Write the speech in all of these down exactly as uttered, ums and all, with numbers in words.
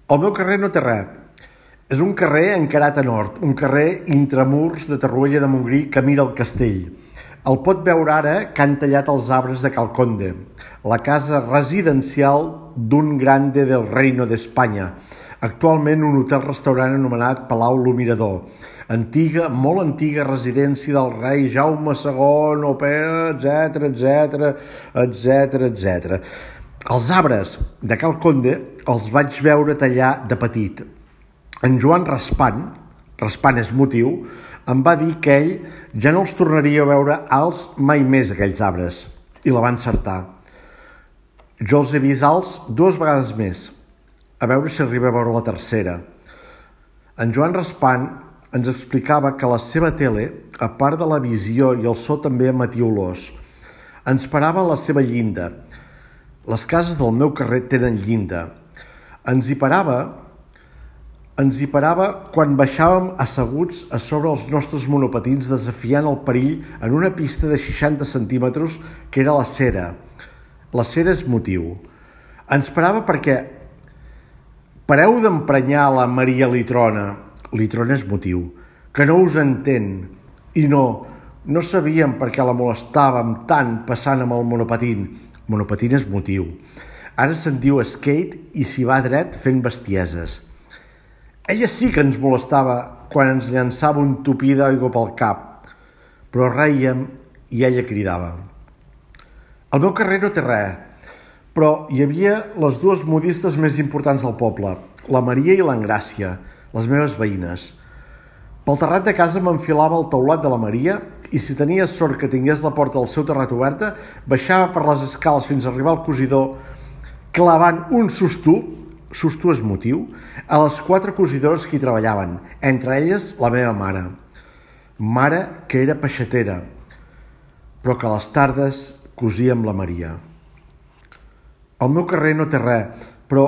El meu carrer no té res. És un carrer encarat a nord, un carrer intramurs de Torroella de Montgrí que mira el castell. El pot veure ara que han tallat els arbres de Cal Conde, la casa residencial d'un grande del Reino d'Espanya, actualment un hotel-restaurant anomenat Palau Lo Mirador, antiga, molt antiga residència del rei Jaume segon, etcètera, etcètera, etcètera, etcètera. Els arbres de Cal Conde els vaig veure tallar de petit. En Joan Raspan, Raspan és motiu, em va dir que ell ja no els tornaria a veure alts mai més, aquells arbres, i la va encertar. Jo els he vist alts dues vegades més, a veure si arriba a veure la tercera. En Joan Raspan ens explicava que la seva tele, a part de la visió i el so, també emetia olors. Ens parava a la seva llinda. Les cases del meu carrer tenen llinda. Ens hi parava, ens hi parava quan baixàvem asseguts a sobre els nostres monopatins desafiant el perill en una pista de seixanta centímetres que era la cera. La cera és motiu. Ens parava perquè pareu d'emprenyar la Maria Litrona. Litrona és motiu. Que no us entén. I no, no sabíem per què la molestàvem tant passant amb el monopatín. Monopatín és motiu. Ara se'n diu skate i s'hi va dret fent bestieses. Ella sí que ens molestava quan ens llançava un tupí d'aigua pel cap, però rèiem i ella cridava. El meu carrer no té res, però hi havia les dues modistes més importants del poble, la Maria i l'Engràcia, les meves veïnes. Pel terrat de casa m'enfilava al teulat de la Maria i si tenia sort que tingués la porta del seu terrat oberta, baixava per les escales fins a arribar al cosidor, clavant un sostú, sostú és motiu, a les quatre cosidores que hi treballaven, entre elles la meva mare. Mare que era peixatera, però que a les tardes cosia amb la Maria. El meu carrer no té res, però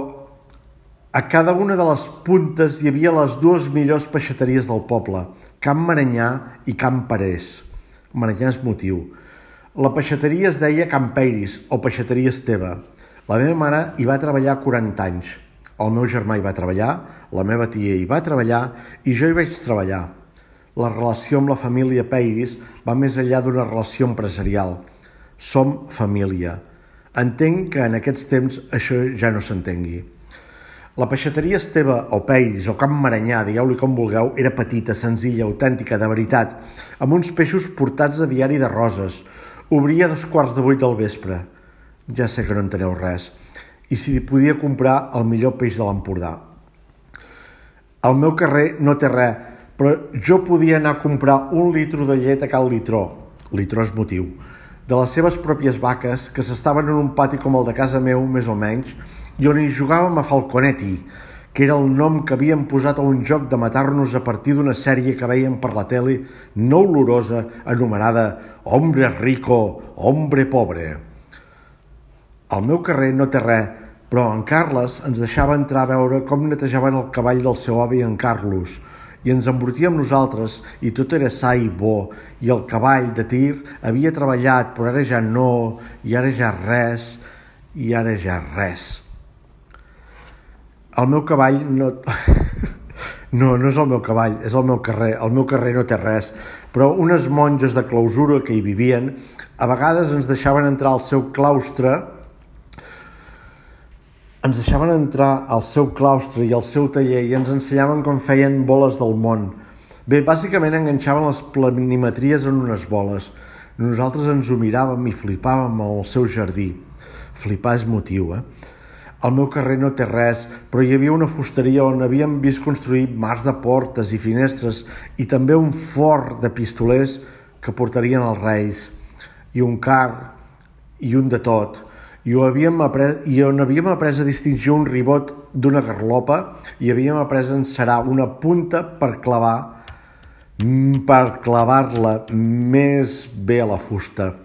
a cada una de les puntes hi havia les dues millors peixateries del poble, Can Maranyà i Can Parés. Maranyà és motiu. La peixateria es deia Can Peiris o Peixateria Esteve. La meva mare hi va treballar quaranta anys. El meu germà hi va treballar, la meva tia hi va treballar i jo hi vaig treballar. La relació amb la família Peiris va més enllà d'una relació empresarial. Som família. Entenc que en aquests temps això ja no s'entengui. La peixateria Esteve o Peiris o Can Maranyà, digueu-li com vulgueu, era petita, senzilla, autèntica, de veritat, amb uns peixos portats a diari de Roses. Obria a dos quarts de vuit del vespre. Ja sé que no enteneu res. I si podia comprar el millor peix de l'Empordà. Al meu carrer no té res, però jo podia anar a comprar un litro de llet a Cal Litró, Litró és motiu, de les seves pròpies vaques, que s'estaven en un pati com el de casa meu, més o menys, i on hi jugàvem a Falconetti, que era el nom que havien posat a un joc de matar-nos a partir d'una sèrie que veiem per la tele no olorosa, anomenada Hombre rico, hombre pobre. Al meu carrer no té res, però en Carles ens deixava entrar a veure com netejaven el cavall del seu avi en Carlos, i ens embrutia amb nosaltres, i tot era sa i bo, i el cavall de tir havia treballat, però ara ja no, i ara ja res, i ara ja res. El meu cavall no... No, no és el meu cavall, és el meu carrer. El meu carrer no té res, però unes monges de clausura que hi vivien a vegades ens deixaven entrar al seu claustre ens deixaven entrar al seu claustre i al seu taller i ens ensenyaven com feien boles del món. Bé, bàsicament enganxaven les planimetries en unes boles. Nosaltres ens ho miràvem i flipàvem al seu jardí. Flipar és motiu, eh? Al meu carrer no té res, però hi havia una fusteria on havíem vist construir mars de portes i finestres i també un fort de pistolers que portarien els reis, i un car, i un de tot, i, ho havíem après, i on havíem après a distingir un ribot d'una garlopa i havíem après a encerar una punta per clavar, per clavar-la més bé a la fusta.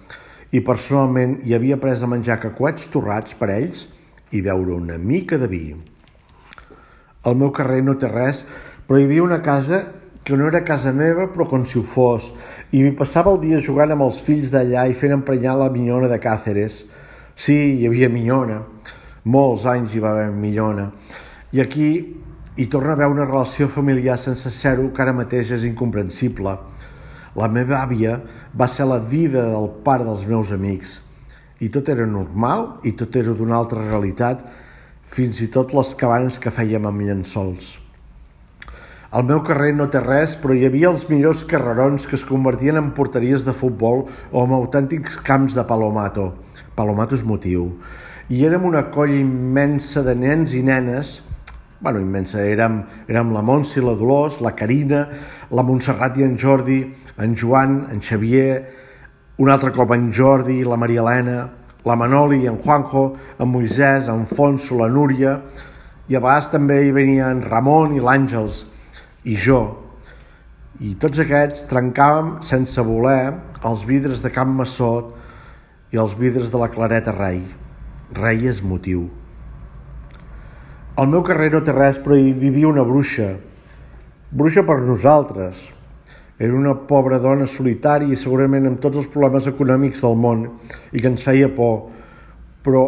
I personalment hi havia après a menjar cacahuets torrats per ells i beure una mica de vi. Al meu carrer no té res, però hi havia una casa que no era casa meva, però com si ho fos, i m'hi passava el dia jugant amb els fills d'allà i fent emprenyar la minyona de Càceres. Sí, hi havia minyona. Molts anys hi va haver minyona. I aquí hi torna a haver una relació familiar sense ser-ho que ara mateix és incomprensible. La meva àvia va ser la dida del pare dels meus amics. I tot era normal i tot era d'una altra realitat, fins i tot les cabanes que fèiem amb llençols. Al meu carrer no té res, però hi havia els millors carrerons que es convertien en porteries de futbol o en autèntics camps de palomato. Palomato és motiu. I érem una colla immensa de nens i nenes, bueno, immensa, érem, érem la Montse i la Dolors, la Carina, la Montserrat i en Jordi, en Joan, en Xavier, un altre cop en Jordi, la Maria Helena, la Manoli, en Juanjo, en Moisès, en Fonso, la Núria, i a vegades també hi venien Ramon i l'Àngels, i jo. I tots aquests trencàvem sense voler els vidres de Can Massot i els vidres de la Clareta Rei. Rei és motiu. Al meu carrer no té res, però hi vivia una bruixa. Bruixa per nosaltres. Era una pobra dona solitària i segurament amb tots els problemes econòmics del món i que ens feia por. Però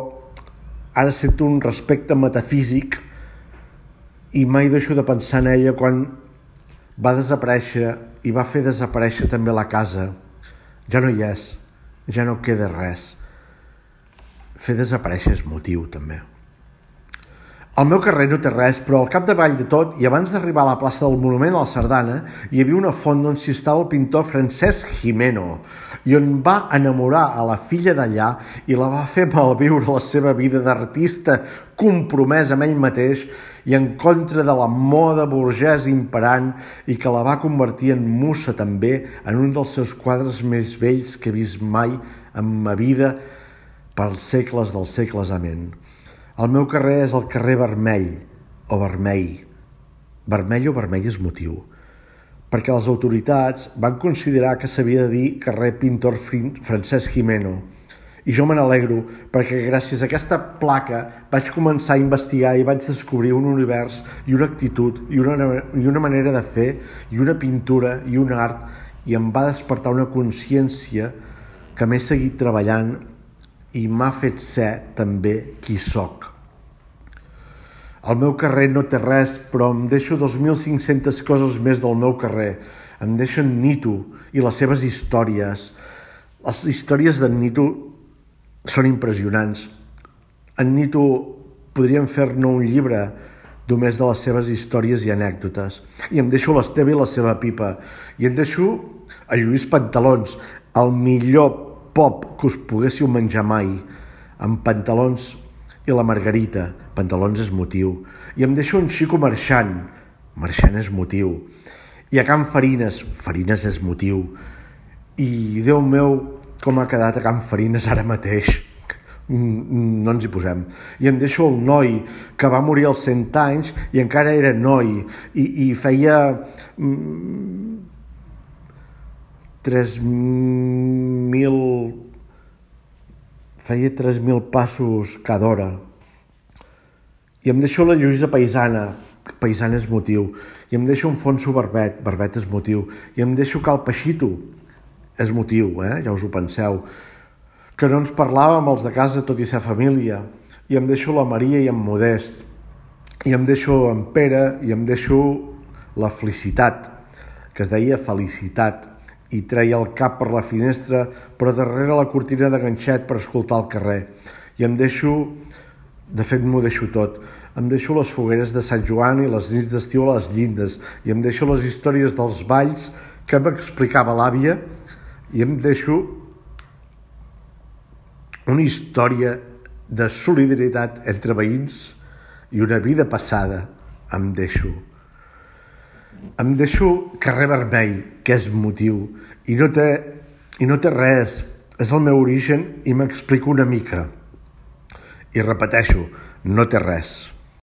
ara sento un respecte metafísic i mai deixo de pensar en ella quan va desaparèixer i va fer desaparèixer també la casa. Ja no hi és, ja no queda res. Fer desaparèixer és motiu, també. Al meu carrer no té res, però al capdavall de tot, i abans d'arribar a la plaça del Monument a la Sardana, hi havia una font on s'hi estava el pintor Francesc Gimeno, i on va enamorar a la filla d'allà i la va fer malviure la seva vida d'artista compromès amb ell mateix i en contra de la moda burgesa imperant i que la va convertir en musa també en un dels seus quadres més vells que he vist mai en ma vida pels segles dels segles. Amén. El meu carrer és el carrer Vermell, o Vermell. Vermell o vermell és motiu, perquè les autoritats van considerar que s'havia de dir carrer Pintor Francesc Gimeno. I jo me n'alegro, perquè gràcies a aquesta placa vaig començar a investigar i vaig descobrir un univers i una actitud i una, i una manera de fer i una pintura i un art, i em va despertar una consciència que m'he seguit treballant i m'ha fet ser també qui soc. El meu carrer no té res, però em deixo dos mil cinc-centes coses més del meu carrer. Em deixen Nito i les seves històries. Les històries d'en Nito són impressionants. En Nito podríem fer-ne un llibre només de les seves històries i anècdotes. I em deixo l'Esteve i la seva pipa. I em deixo a Lluís Pantalons, el millor pop que us poguéssiu menjar mai, amb Pantalons i la Margarita. Pantalons és motiu. I em deixo un Xico Marxant. Marxant és motiu. I a Can Farines. Farines és motiu. I, Déu meu, com ha quedat a Can Farines ara mateix. No ens hi posem. I em deixo el noi que va morir als cent anys i encara era noi i, i feia mm, tres mil feia tres mil passos cada hora. I em deixo la Lluïsa Paisana. Paisana és motiu. I em deixo un Fonso Barbet. Barbet és motiu. I em deixo Cal Peixito. És motiu, eh? Ja us ho penseu. Que no ens parlàvem els de casa tot i ser família. I em deixo la Maria i en Modest. I em deixo en Pere i em deixo la Felicitat, que es deia Felicitat, i treia el cap per la finestra, però darrere la cortina de ganxet per escoltar el carrer. I em deixo, de fet m'ho deixo tot, em deixo les fogueres de Sant Joan i les nits d'estiu a les llindes, i em deixo les històries dels balls que m'explicava l'àvia, i em deixo una història de solidaritat entre veïns i una vida passada. Em deixo. Em deixo carrer Vermell, que és motiu, i no té, i no té res. És el meu origen i m'explico una mica. I repeteixo, no té res.